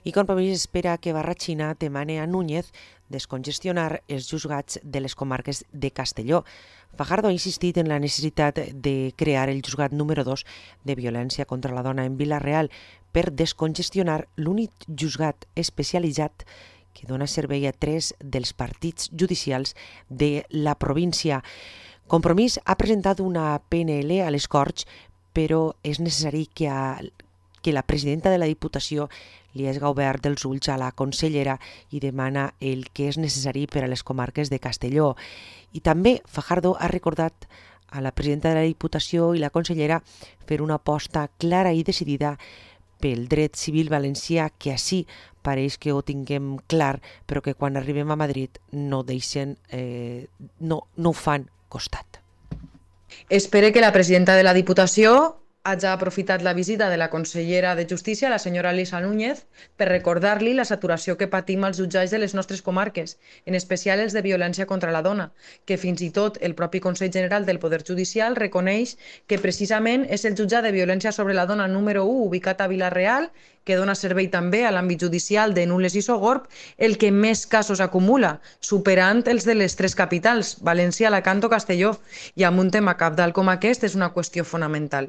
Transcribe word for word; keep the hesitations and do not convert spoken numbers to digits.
I Compromís espera que Barratxina demane a Núñez descongestionar els juzgats de les comarques de Castelló. Fajardo ha insistit en la necessitat de crear el juzgat número dos de violència contra la dona en Vila-real per descongestionar l'únic juzgat especialitzat que dona servei a tres dels partits judicials de la província. Compromís ha presentat una P N L a les Corts, però és necessari que, a, que la presidenta de la Diputació li hagi obert els ulls a la consellera i demana el que és necessari per a les comarques de Castelló. I també Fajardo ha recordat a la presidenta de la Diputació i la consellera fer una aposta clara i decidida pel dret civil valencià, que així pareix que ho tinguem clar, però que quan arribem a Madrid no deixen, eh, no, no ho fan costat. Espere que la presidenta de la Diputació hagi aprofitat la visita de la consellera de Justícia, la senyora Elisa Núñez, per recordar-li la saturació que patim als jutjats de les nostres comarques, en especial els de violència contra la dona, que fins i tot el propi Consell General del Poder Judicial reconeix que precisament és el jutjat de violència sobre la dona número u, ubicat a Vila-real, que dona servei també a l'àmbit judicial de Nules i Sogorb, el que més casos acumula, superant els de les tres capitals, València, Alacant o Castelló, i amb un tema cabdal com aquest és una qüestió fonamental.